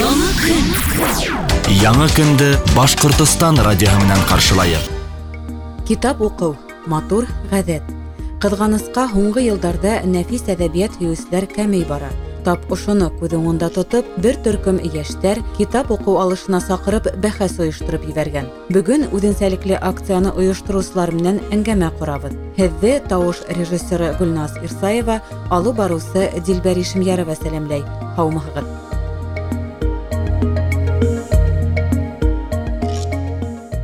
Яңы көн. Яңы көндө Башҡортостан радиоһы менән ҡаршылайыҡ. Китап уҡыу матур ғәҙәт. Ҡыҙғанысҡа, һуңғы йылдарҙа нәфис әҙәбиәт һөйөүселәр кәмей бара. Тап ошоно күҙ уңында тотоп, бер төркөм йәштәр китап уҡыу алышына саҡырып бәхәс ойоштороп ебәргән. Бөгөн үҙенсәлекле акцияны ойоштороусылар менән әңгәмә ҡорабыҙ. Һеҙҙе тауыш режиссеры Гөлназ Ирсаева, алып барыусы Дилбәр Ишемйәрова сәләмләй. Һаумыһығыҙ!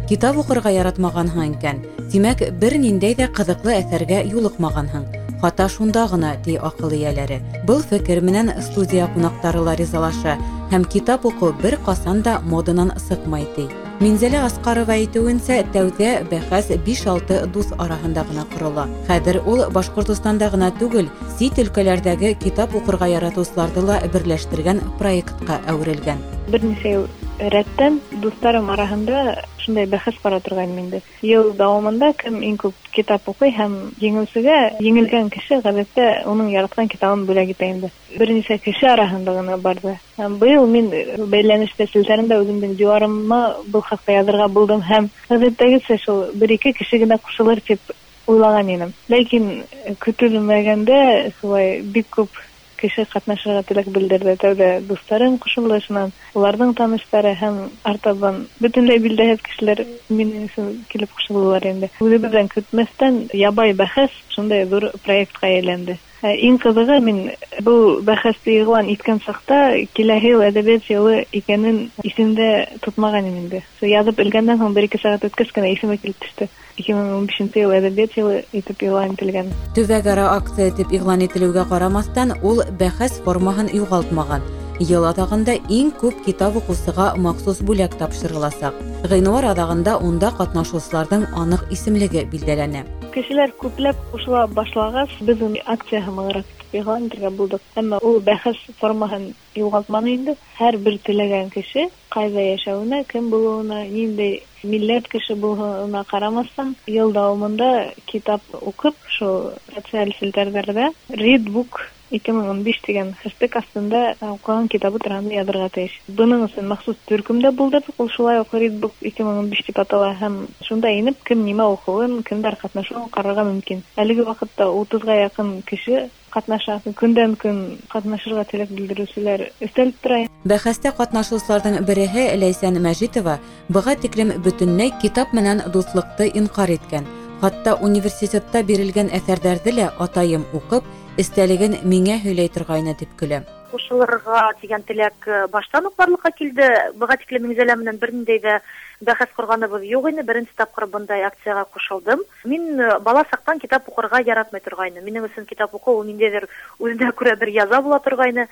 Китап уҡырға яратмағанһың икән, тимәк, бер ниндәй ҙә ҡыҙыҡлы әҫәргә юлыҡмағанһың. Хата шунда ғына, ти аҡыл эйәләре. Был фекер менән студия ҡунаҡтары ла ризалаша һәм китап уҡыу бер ҡасан да моданан сыҡмай, ти. Минзәлә Асҡарова әйтеүенсә, тәүҙә бәхәс 5-6 дуҫ араһында ғына ҡорола. Хәҙер ул Башҡортостанда ғына түгел, сит өлкәләрҙәге китап уҡырға яратыусыларҙы ла берләштергән проектҡа әүерелгән. Бер нисә йыл рәттән дуҫтарым араһында шундай бәхәс бара торғайным инде. Йыл дауамында кем иң күп китап уҡый һәм еңеүсегә еңелгән кеше ғәҙәттә уның яратҡан китабын бүләк итә инде. Бер нисә кеше араһында ғына барҙы. Һәм быйыл мин бәйләнештә селтәрендә үҙемдең диуарыма был хаҡта яҙырға булдым һәм ғәҙәттәгесә шул бер-ике кеше генә ҡушылыр тип уйлаған инем. Ләкин көтөлмәгәндә шулай бик күп кеше ҡатнашырға теләк белдерҙе. Тәүҙә дуҫтарым ҡушылды, шунан уларҙың таныштары һәм артабан бөтөнләй билдәһеҙ кешеләр минең өсөн килеп ҡушылдылар инде. Үҙебеҙҙән көтмәҫтән ябай бәхәс шундай ҙур проектҡа әйләнде. Иң ҡыҙығы, мин был бәхәсте иғлан иткән саҡта киләһе йыл әҙәбиәт йылы икәнен иҫемдә тотмаған инем инде. Яҙып элгәндән һуң бер-ике сәғәт үткәс кенә иҫемә килеп төштө. 2015 йыл әҙәбиәт йылы итеп иғлан ителгән. Төбәк-ара акция итеп иғлан ителеүгә ҡарамаҫтан, ул бәхәс формаһын юғалтмаған. Йыл аҙағында иң күп китап уҡыусыға махсус бүләк тапшырыласаҡ. Ғинуар аҙағында унда ҡатнашыусыларҙың аныҡ исемлеге билдәләнә. Кешеләр күпләп ҡушыла башлағас, беҙ уны акция һымағыраҡ итеп иғлан итергә булдыҡ. Әммә ул бәхәс формаһын юғалтманы инде. Һәр бер теләгән кеше ҡайҙа йәшәүенә, кем булыуына, ниндәй милләт кеше булыуына ҡарамаҫтан, йыл дауамында китап уҡып, шул социаль селтәрҙәрҙә Readbook 2015 тигән хэштег аҫтында уҡыған китабы тураһында яҙырға тейеш. Бының өсөн махсус төркөм дә булдырҙыҡ, ул шулай уҡ Readbook 2015 тип атала һәм шунда инеп кем нимә уҡыуын, кемдәр ҡатнашыуын ҡарарға мөмкин. Әлеге ваҡытта 30-ға яҡын кеше ҡатнаша. Көндән көн ҡатнашырға теләк белдереүселәр өҫтәлеп тора. Бәхәстә ҡатнашыусыларҙың береһе Ләйсән Мәжитова быға тиклем бөтөнләй китап менән дуҫлыҡты инҡар иткән. Хатта университетта бирелгән әҫәрҙәрҙе лә атайым уҡып, эстәлеген миңә һөйләй торғайны тип көлә. Ҡушылырға тигән теләк баштан уҡ барлыҡҡа килде. Быға тиклем Минзәлә менән бер ниндәй ҙә бәхәс ҡорғаныбыҙ юҡ ине. Беренсе тапҡыр бындай акцияға ҡушылдым. Мин бала саҡтан китап уҡырға яратмай торғайным. Минең өсөн китап уҡыу ул ниндәйҙер үҙенә күрә бер яза була торғайны.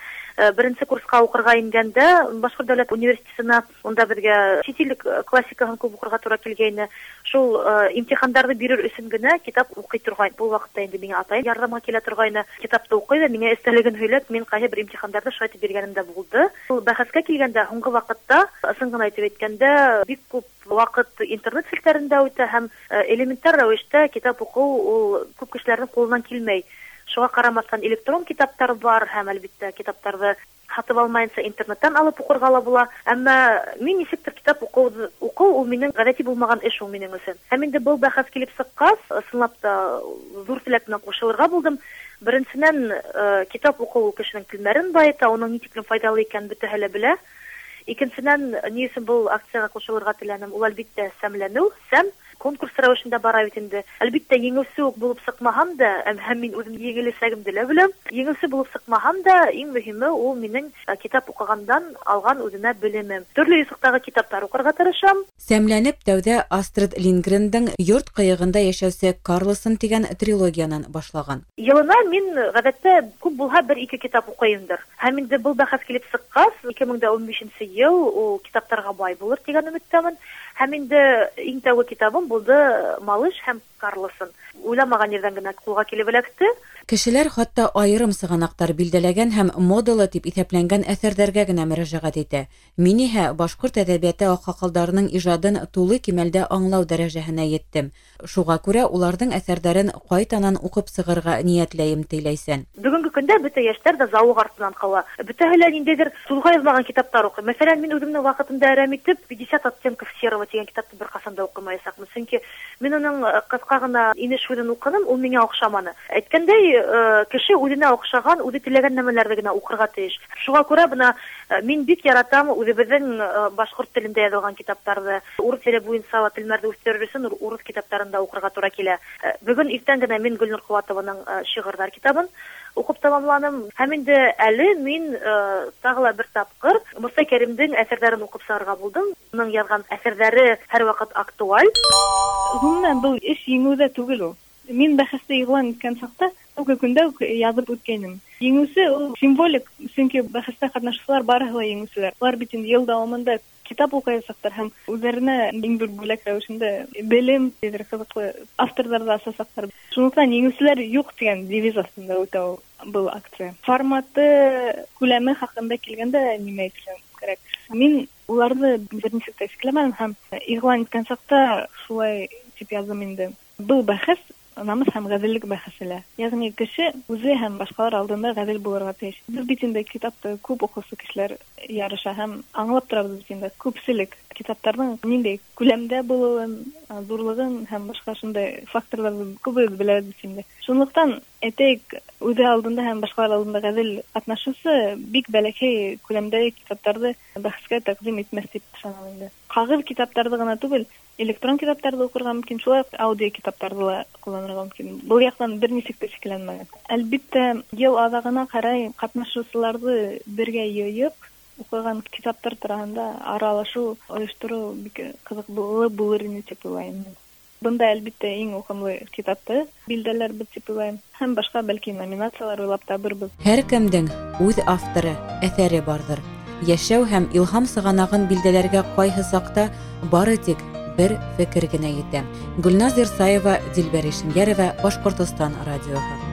Беренсе курсҡа уҡырға ингәндә Башҡорт дәүләт университетына, унда беҙгә сит ил классикаһын күп уҡырға тура килгәйне. Шул имтихандарҙы бирер өсөн генә китап уҡый торғайны. Был ваҡытта инде миңә атайым ярҙамға килә торғайны. Китапты уҡый ҙа миңә эстәлеген һөйләп, мин ҡайһы бер имтихандарҙы шулай итеп биргәнем дә булды. Ул бәхәскә килгәндә һуңғы ваҡытта, ысын ғына әйтеп әйткәндә, бик күп ваҡыт интернет селтәрендә үтә һәм элементар рәүештә китап уҡыу ул күп кешеләрҙең ҡулынан килмәй. Шуға ҡарамаҫтан электрон китаптар бар һәм әлбиттә китаптарҙы һатып алмайынса интернеттан алып уҡырға ла була. Әммә мин нисектер китап уҡыу ул минең ғәҙәти булмаған эш ул минең өсөн. Һәм инде был бәхәс килеп сыҡҡас, ысынлап та ҙур теләк менән ҡушылырға булдым. Беренсенән, китап уҡыу ул кешенең телмәрен байыта, уның ни тиклем файҙалы икәнен бөтәһе лә белә. Икенсенән, ни өсөн был акцияға ҡушылырға теләнем? Ул әлбиттә сәмләнеү, сәм конкурс рәүешендә бара бит инде. Әлбиттә, еңеүсе үк булып сыҡмаһам да, һәм мин үҙем еңеләсәгемде лә беләм. Еңеүсе булып сыҡмаһам да, иң мөһиме ул минең китап уҡығандан алған үҙемә белемем. Төрлө юҫыҡтағы китаптар уҡырға тырышам. Сәмләнеп тәүҙә Астрид Линдгрендың Йорт ҡыйығында йәшәүсе Карлсон тигән трилогиянан башлаған. Йылына мин ғәҙәттә күп булһа бер-ике китап уҡыйымдыр. Һәм инде был бәхәс килеп сыҡҡас, 2015 йыл ул китаптарға бай булыр тигән өмөттәмен. Һәм инде иң тәүге китабым булды Малыш һәм Карлсон. Уйламаған ерҙән генә ҡулға килеп эләкте. Кешеләр хатта айырым сығанаҡтар билдәләгән һәм модалы тип иҫәпләнгән әҫәрҙәргә генә мөрәжәғәт итә. Мин иһә башҡорт әҙәбиәте аҡһаҡалдарының ижадын тулы кимәлдә аңлау дәрәжәһенә еттем. Шуға күрә уларҙың әҫәрҙәрен ҡайтанан уҡып сығырға ниәтләйем, ти Ләйсән. Бөгөнгө көндә бөтә йәштәр ҙә зауыҡ артынан ҡыуа. Бөтәһе лә ниндәйҙер сулға яҙмаған китаптар уҡый. Мәҫәлән, мин үҙемдең ваҡытымда әрәм итеп 50 оттенков серого тигән китапты бер ҡасан да уҡымаясаҡмын. Сөнки мин уның ҡыҫҡа ғына инеш һүҙен уҡыным, ул миңә оҡшаманы. Әйткәндәй, кеше үҙенә оҡшаған, үҙе теләгән нәмәләрҙе генә уҡырға тейеш. Шуға күрә бына мин бик яратам үҙебеҙҙең башҡорт телендә яҙылған китаптарҙы. Урыҫ теле буйынса ла телмәрҙе үҫтерер өсөн урыҫ китаптарын да уҡырға тура килә. Бөгөн иртән генә мин Гөлнур Ҡыуатованың шиғырҙар китабын уҡып тамамланым. Һәм инде әле мин тағы ла бер тапҡыр Мостай Кәримдең әҫәрҙәрен уҡып сығырға булдым. Уның яҙған әҫәрҙәре һәр ваҡыт актуаль. Ғөмүмән, был эш еңеүҙә түгел ул. Мин бәхәсте иғлан иткән саҡта тәүге көндә үк яҙып үткәйнем. Еңеүсе ул символик, сөнки бәхәстә ҡатнашыусылар барыһы ла еңеүселәр. Улар бит инде йыл дауамында китап уҡаясаҡтар һәм үҙҙәренә иң ҙур бүләк рәүешендә белем, ниҙер ҡыҙыҡлы авторҙарҙы асасаҡтар. Шунлыҡтан еңеүселәр юҡ тигән девиз аҫтында үтә ул был акция. Форматы, күләме хаҡында килгәндә нимә әйтергә кәрәк? Мин уларҙы бер нисек тә сикләмәнем һәм иғлан иткән саҡта шулай тип яҙҙым инде. Был бәхәс намыҫ һәм ғәҙеллек бәхәсе лә. Йәғни кеше үҙе һәм башҡалар алдында ғәҙел булырға тейеш. Беҙ бит инде китапты күп уҡыусы кешеләр ярыша һәм аңлап торабыҙ бит инде күпселек китаптарҙың ниндәй күләмдә булыуын, ҙурлығын һәм башҡа шундай факторҙарҙы күбебеҙ беләбеҙ бит инде. Шунлыҡтан әйтәйек, үҙе алдында һәм башҡалар алдында ғәҙел ҡатнашыусы бик бәләкәй күләмдәге китаптарҙы бәхәскә тәҡдим итмәҫ тип ышанам инде. Ҡағыҙ китаптарҙы ғына түгел, электрон китаптарҙы уҡырға мөмкин, шулай уҡ аудио китаптарҙы ла ҡулланырға мөмкин. Был яҡтан бер нисек тә сикләнмәгән. Әлбиттә, йыл аҙағына ҡарай ҡатнашыусыларҙы бергә йыйып, уҡыған китаптар тураһында аралашыу ойоштороу бик ҡыҙыҡлы булыр ине тип уйлайым. Бында әлбиттә иң уҡымлы китапты билдәләрбеҙ тип уйлайым. Һәм башҡа бәлки номинациялар уйлап табырбыҙ. Һәр кемдең үҙ авторы, әҫәре барҙыр. Йәшәү һәм илһам сығанағын билдәләргә ҡайһы саҡта бары тик бер фекер генә етә. Гөлназ Ирсаева, Дилбәр Ишемйәрова, Башҡортостан радиоһы.